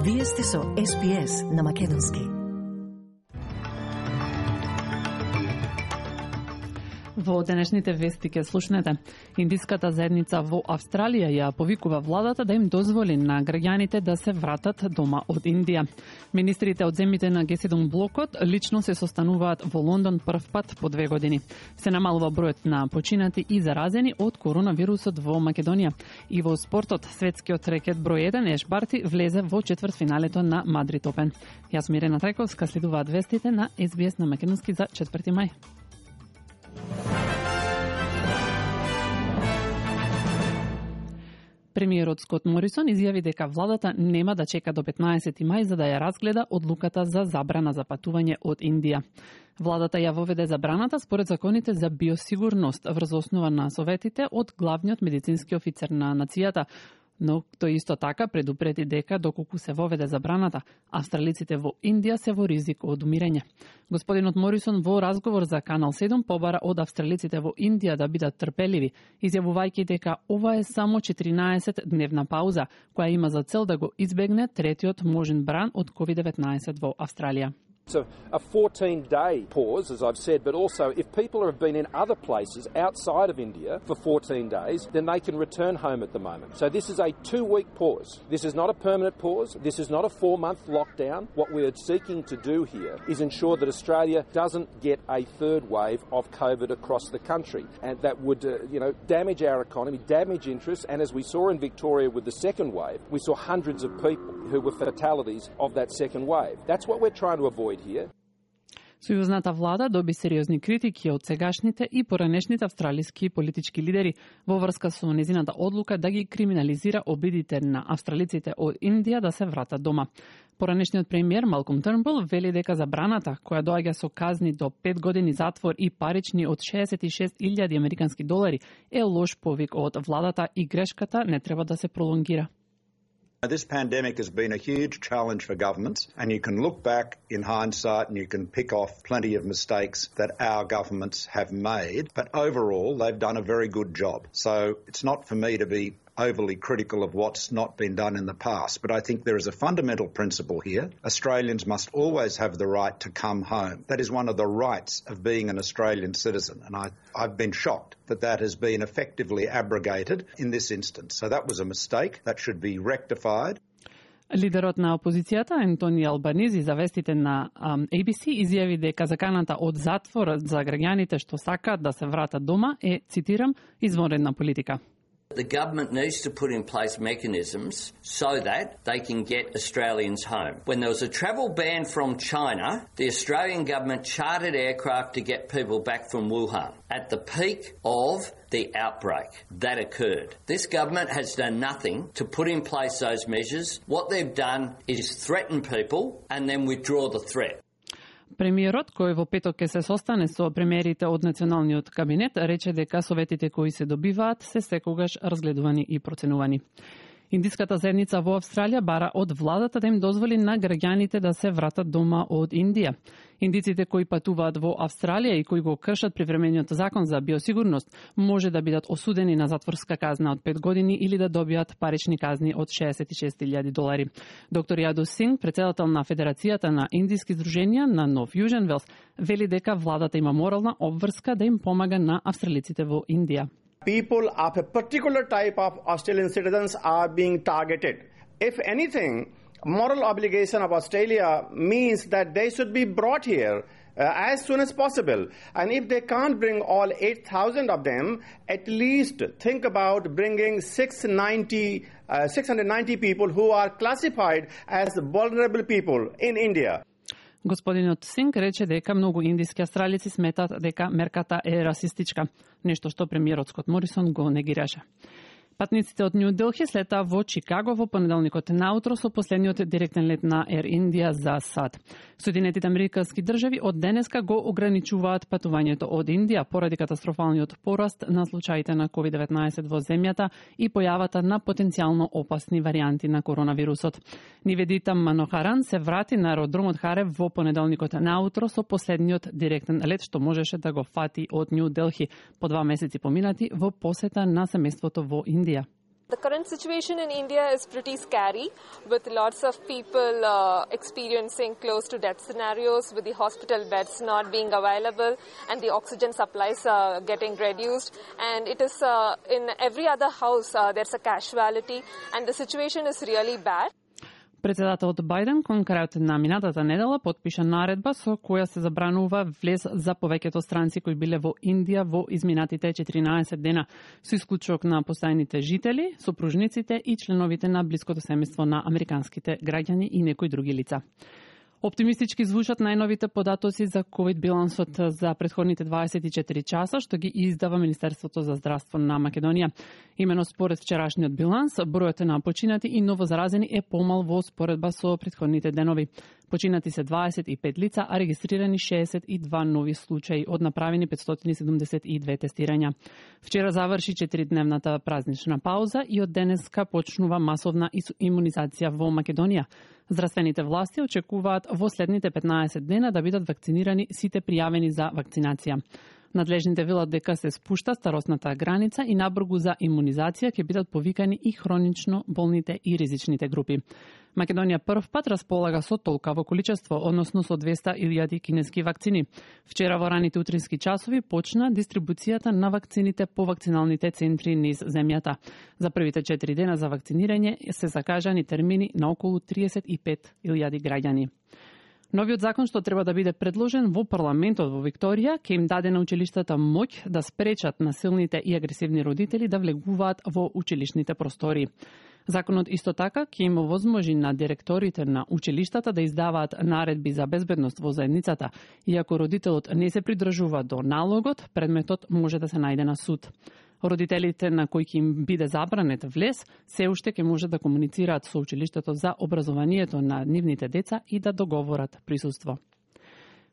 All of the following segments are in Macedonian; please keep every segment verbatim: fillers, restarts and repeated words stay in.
Вие сте со Ес Би Ес на Македонски. Во денешните вести ке слушнете. Индиската заедница во Австралија ја повикува владата да им дозволи на граѓаните да се вратат дома од Индија. Министрите од земјите на Ге седум блокот лично се состануваат во Лондон прв пат по две години. Се намалува бројот на починати и заразени од коронавирусот во Македонија. И во спортот, светскиот рекет број еден Еш Барти влезе во четвртфиналето на Мадрид Опен. Јас Мирена Трајковска, следуваат вестите на Ес Би Ес на Македонски за четврти мај. Премиерот Скот Морисон изјави дека владата нема да чека до петнаесети мај за да ја разгледа одлуката за забрана за патување од Индија. Владата ја воведе забраната според законите за биосигурност врз основа на советите од главниот медицински офицер на нацијата, но тој исто така предупреди дека доколку се воведе забраната, австралиците во Индија се во ризик од умирање. Господинот Морисон во разговор за Канал седум побара од австралиците во Индија да бидат трпеливи, изјавувајќи дека ова е само четиринаесет дневна пауза, која има за цел да го избегне третиот можен бран од ковид деветнаесет во Австралија. It's a, a fourteen-day pause, as I've said, but also if people have been in other places outside of India for fourteen days, then they can return home at the moment. So this is a two-week pause. This is not a permanent pause. This is not a four-month lockdown. What we're seeking to do here is ensure that Australia doesn't get a third wave of COVID across the country, and that would, uh, you know, damage our economy, damage interests, and as we saw in Victoria with the second wave, we saw hundreds of people who were fatalities of that second wave. That's what we're trying to avoid here. Сојузната влада доби сериозни критики од сегашните и поранешните австралиски политички лидери во врска со незината одлука да ги криминализира обидите на австралиците од Индија да се вратат дома. Поранешниот премиер Малком Трнбул вели дека забраната, која доаѓа со казни до пет години затвор и парични од шеесет и шест илјади американски долари, е лош повик од владата и грешката не треба да се пролонгира. This pandemic has been a huge challenge for governments, and you can look back in hindsight and you can pick off plenty of mistakes that our governments have made, but overall they've done a very good job. So it's not for me to be overly critical of what's not been done in the past, but I think there is a fundamental principle here. Australians must always have the right to come home. That is one of the rights of being an Australian citizen, and I, I've been shocked that that has been effectively abrogated in this instance. So that was a mistake that should be rectified. Лидерот на опозицијата Ентони Албанизи за вестите на Ей Би Си изјави дека заканата од затвор за граѓаните што сакаат да се вратат дома е, цитирам, извонредна политика. The government needs to put in place mechanisms so that they can get Australians home. When there was a travel ban from China, the Australian government chartered aircraft to get people back from Wuhan at the peak of the outbreak that occurred. This government has done nothing to put in place those measures. What they've done is threaten people and then withdraw the threat. Премиерот, кој во петок ќе се состане со премиерите од националниот кабинет, рече дека советите кои се добиваат се секогаш разгледувани и проценувани. Индиската заедница во Австралија бара од владата да им дозволи на граѓаните да се вратат дома од Индија. Индиците кои патуваат во Австралија и кои го кршат привремениот закон за биосигурност може да бидат осудени на затворска казна од пет години или да добијат парични казни од шеесет и шест илјади долари. Доктор Јадо Синг, председател на Федерацијата на индиски здруженија на Нов Јужен Велс, вели дека владата има морална обврска да им помага на австралиците во Индија. People of a particular type of Australian citizens are being targeted. If anything, moral obligation of Australia means that they should be brought here uh, as soon as possible. And if they can't bring all eight thousand of them, at least think about bringing six hundred ninety people who are classified as vulnerable people in India. Господинот Синг рече дека многу индиски австралици сметат дека мерката е расистичка, нешто што премиерот Скот Морисон го негираше. Патниците од Нью Делхи слетаа во Чикаго во понеделникот наутро со последниот директен лет на Ер Индија за САД. Соединетите американски држави од денеска го ограничуваат патувањето од Индија поради катастрофалниот пораст на случаите на ковид деветнаесет во земјата и појавата на потенцијално опасни варијанти на коронавирусот. Ниведита Манохаран се врати на аеродромот Харев во понеделникот наутро со последниот директен лет што можеше да го фати од Нью Делхи по два месеци поминати во посета на семејството во Индија. The current situation in India is pretty scary, with lots of people uh, experiencing close to death scenarios, with the hospital beds not being available and the oxygen supplies uh, getting reduced. And it is uh, in every other house uh, there's a casualty, and the situation is really bad. Председателот Бајден кон крајот на минатата недела потпиша наредба со која се забранува влез за повеќето странци кои биле во Индија во изминатите четиринаесет дена, со исклучок на постојаните жители, сопружниците и членовите на блиското семејство на американските граѓани и некои други лица. Оптимистички звучат најновите податоци за ковид билансот за претходните дваесет и четири часа, што ги издава Министерството за здравство на Македонија. Имено според вчерашниот биланс, бројот на починати и новозаразени е помал во споредба со претходните денови. Починати се дваесет и пет лица, а регистрирани шеесет и два нови случаи од направени петстотини седумдесет и две тестирања. Вчера заврши четиридневната празнична пауза и од денеска почнува масовна имунизација во Македонија. Здравствените власти очекуваат во следните петнаесет дена да бидат вакцинирани сите пријавени за вакцинација. Надлежните велат дека се спушта старосната граница и набргу за имунизација ќе бидат повикани и хронично болните и ризичните групи. Македонија прв пат располага со толкаво количество, односно со двесте илјади кинески вакцини. Вчера во раните утрински часови почна дистрибуцијата на вакцините по вакциналните центри низ земјата. За првите четири дена за вакцинирање се закажани термини на околу триесет и пет илјади граѓани. Новиот закон што треба да биде предложен во парламентот во Викторија ќе им даде на училиштата моќ да спречат насилните и агресивни родители да влегуваат во училишните простори. Законот исто така ќе им овозможи на директорите на училиштата да издаваат наредби за безбедност во заедницата, иако родителот не се придржува до налогот, предметот може да се најде на суд. Родителите на кои ќе им биде забранет влез, се уште ќе може да комуницираат со училиштето за образованието на нивните деца и да договорат присуство.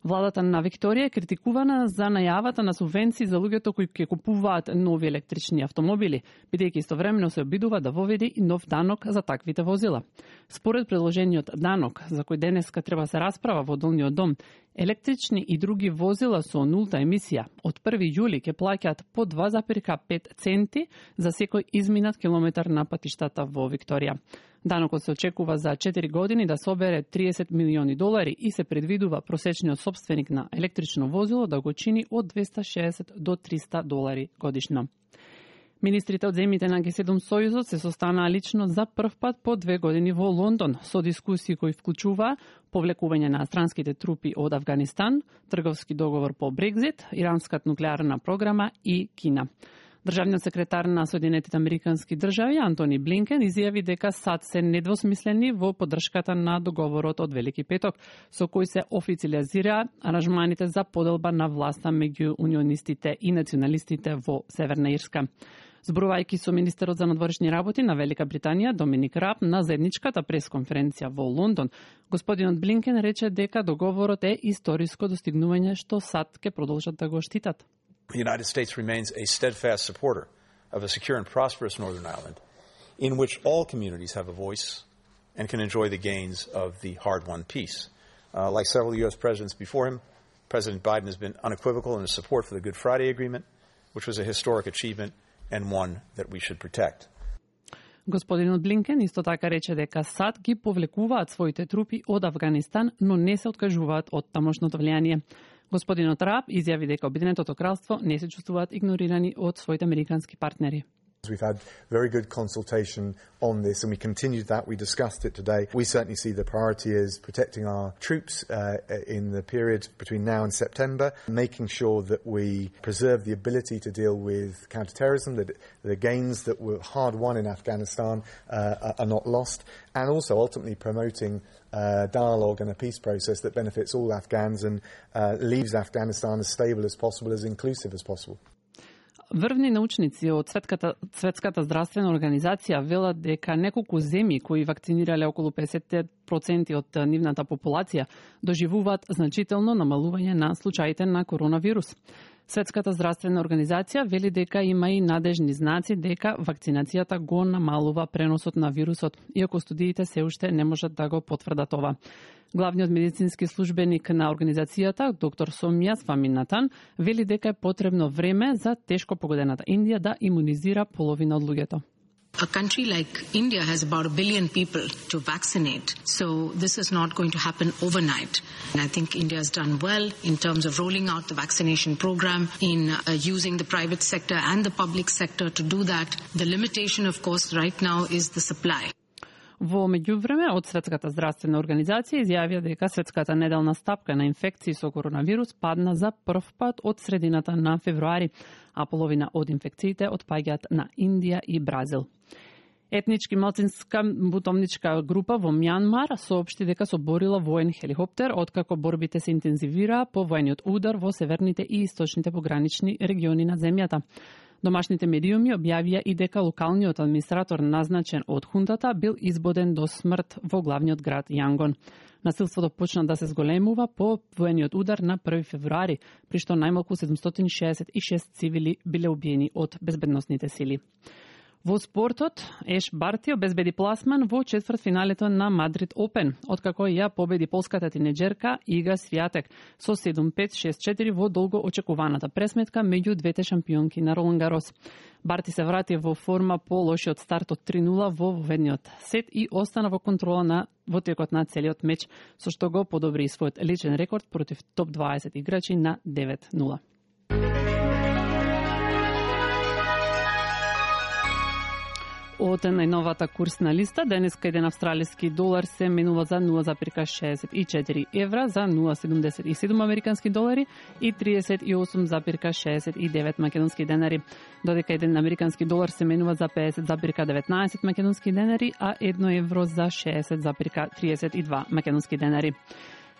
Владата на Викторија е критикувана за најавата на субвенции за луѓето кои ќе купуваат нови електрични автомобили, бидејќи истовремено се обидува да воведе и нов данок за таквите возила. Според предложениот данок, за кој денеска треба се расправа во Долниот дом, електрични и други возила со нулта емисија од први јули ќе плаќаат по два зарез и пет центи за секој изминат километар на патиштата во Викторија. Данокот се очекува за четири години да собере триесет милиони долари и се предвидува просечниот сопственик на електрично возило да го чини од двесте и шеесет до триста долари годишно. Министрите од земјите на Г седум Сојузот се состанаа лично за прв пат по две години во Лондон со дискусии кои вклучува повлекување на странските трупи од Авганистан, трговски договор по Брекзит, иранската нуклеарна програма и Кина. Државниот секретар на Соединетите Американски држави Антони Блинкен изјави дека САД се недвосмислени во поддршката на договорот од Велики петок, со кој се официализира аранжманите за поделба на власта меѓу унионистите и националистите во Северна Ирска. Зборувајќи со министерот за надворешни работи на Велика Британија Доминик Раб на заедничката пресконференција во Лондон, господинот Блинкен рече дека договорот е историско достигнување што САД ќе продолжат да го штитат. The United States remains a steadfast supporter of a secure and prosperous Northern Ireland in which all communities have a voice and can enjoy the gains of the hard-won peace. Uh, like several U S presidents before him, President Biden has been unequivocal in his support for the Good Friday Agreement, which was a historic achievement and one that we should protect. Господинот Блинкен исто така рече дека САД ги повлекуваат своите трупи од Авганистан, но не се откажуваат од тамошното влијание. Господинот Раб изјави дека Обединетото кралство не се чувствуваат игнорирани од своите американски партнери. We've had very good consultation on this and we continued that. We discussed it today. We certainly see the priority is protecting our troops uh, in the period between now and September, making sure that we preserve the ability to deal with counterterrorism, that the gains that were hard won in Afghanistan uh, are not lost, and also ultimately promoting uh, dialogue and a peace process that benefits all Afghans and uh, leaves Afghanistan as stable as possible, as inclusive as possible. Врвни научници од Светската, Светската здравствена организација велат дека неколку земји кои вакцинирале околу песет проценти од нивната популација доживуваат значително намалување на случаите на коронавирус. Светската здравствена организација вели дека има и надежни знаци дека вакцинацијата го намалува преносот на вирусот, иако студиите се уште не можат да го потврдат ова. Главниот медицински службеник на организацијата, доктор Сомија Сваминатан, вели дека е потребно време за тешко погодената Индија да имунизира половина од луѓето. A country like India has about a billion people to vaccinate, so this is not going to happen overnight. And I think India has done well in terms of rolling out the vaccination program, in uh, using the private sector and the public sector to do that. The limitation, of course, right now is the supply. Во меѓувреме, од Светската здравствена организација изјавија дека светската неделна стапка на инфекции со коронавирус падна за прв пат од средината на февруари, а половина од инфекциите отпаѓаат на Индија и Бразил. Етнички малцинска бутовничка група во Мјанмар соопшти дека соборила воен хеликоптер откако борбите се интензивираа по воениот удар во северните и источните погранични региони на земјата. Домашните медиуми објавија и дека локалниот администратор назначен од хунтата бил избоден до смрт во главниот град Јангон. Насилството почна да се зголемува по воениот удар на први февруари, при што најмалку седумстотини шеесет и шест цивили биле убиени од безбедносните сили. Во спортот, Еш Барти обезбеди пласман во четвртфиналето на Мадрид Опен, откако ја победи полската тинеџерка Ига Свијатек со седум пет шест четири во долго очекуваната пресметка меѓу двете шампионки на Ролан Гарос. Барти се врати во форма по лошиот старт од три нула во воведниот сет и остана во контрола на во текот на целиот меч, со што го подобри својот личен рекорд против топ дваесет играчи на девет нула. Од најновата курсна листа, денеска еден австралиски долар се менува за нула зарез шеесет и четири евра, за нула зарез седумдесет и седум американски долари и триесет и осум зарез шеесет и девет македонски денари, додека еден американски долар се менува за педесет зарез деветнаесет македонски денари, а едно евро за шеесет зарез триесет и два македонски денари.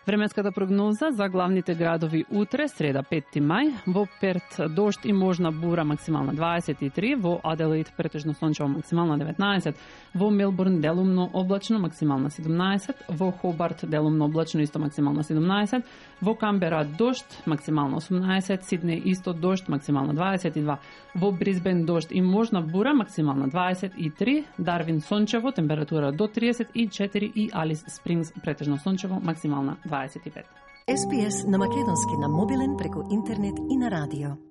Временската прогноза за главните градови утре, среда петти мај, во Перт дожд и можна бура максимална дваесет и три, во Аделаид претежно сончево максимална деветнаесет, во Мелбурн делумно облачно максимална седумнаесет, во Хобарт делумно облачно исто максимална седумнаесет, во Камбера дожд максимална осумнаесет, Сиднеј исто дожд максимална дваесет и два, во Брисбен дожд и можна бура максимална дваесет и три, Дарвин сончево температура до триесет и четири и Алис Спрингс претежно сончево максимална дваесет и пет. Ес Би Ес на македонски на мобилен преку интернет и на радио.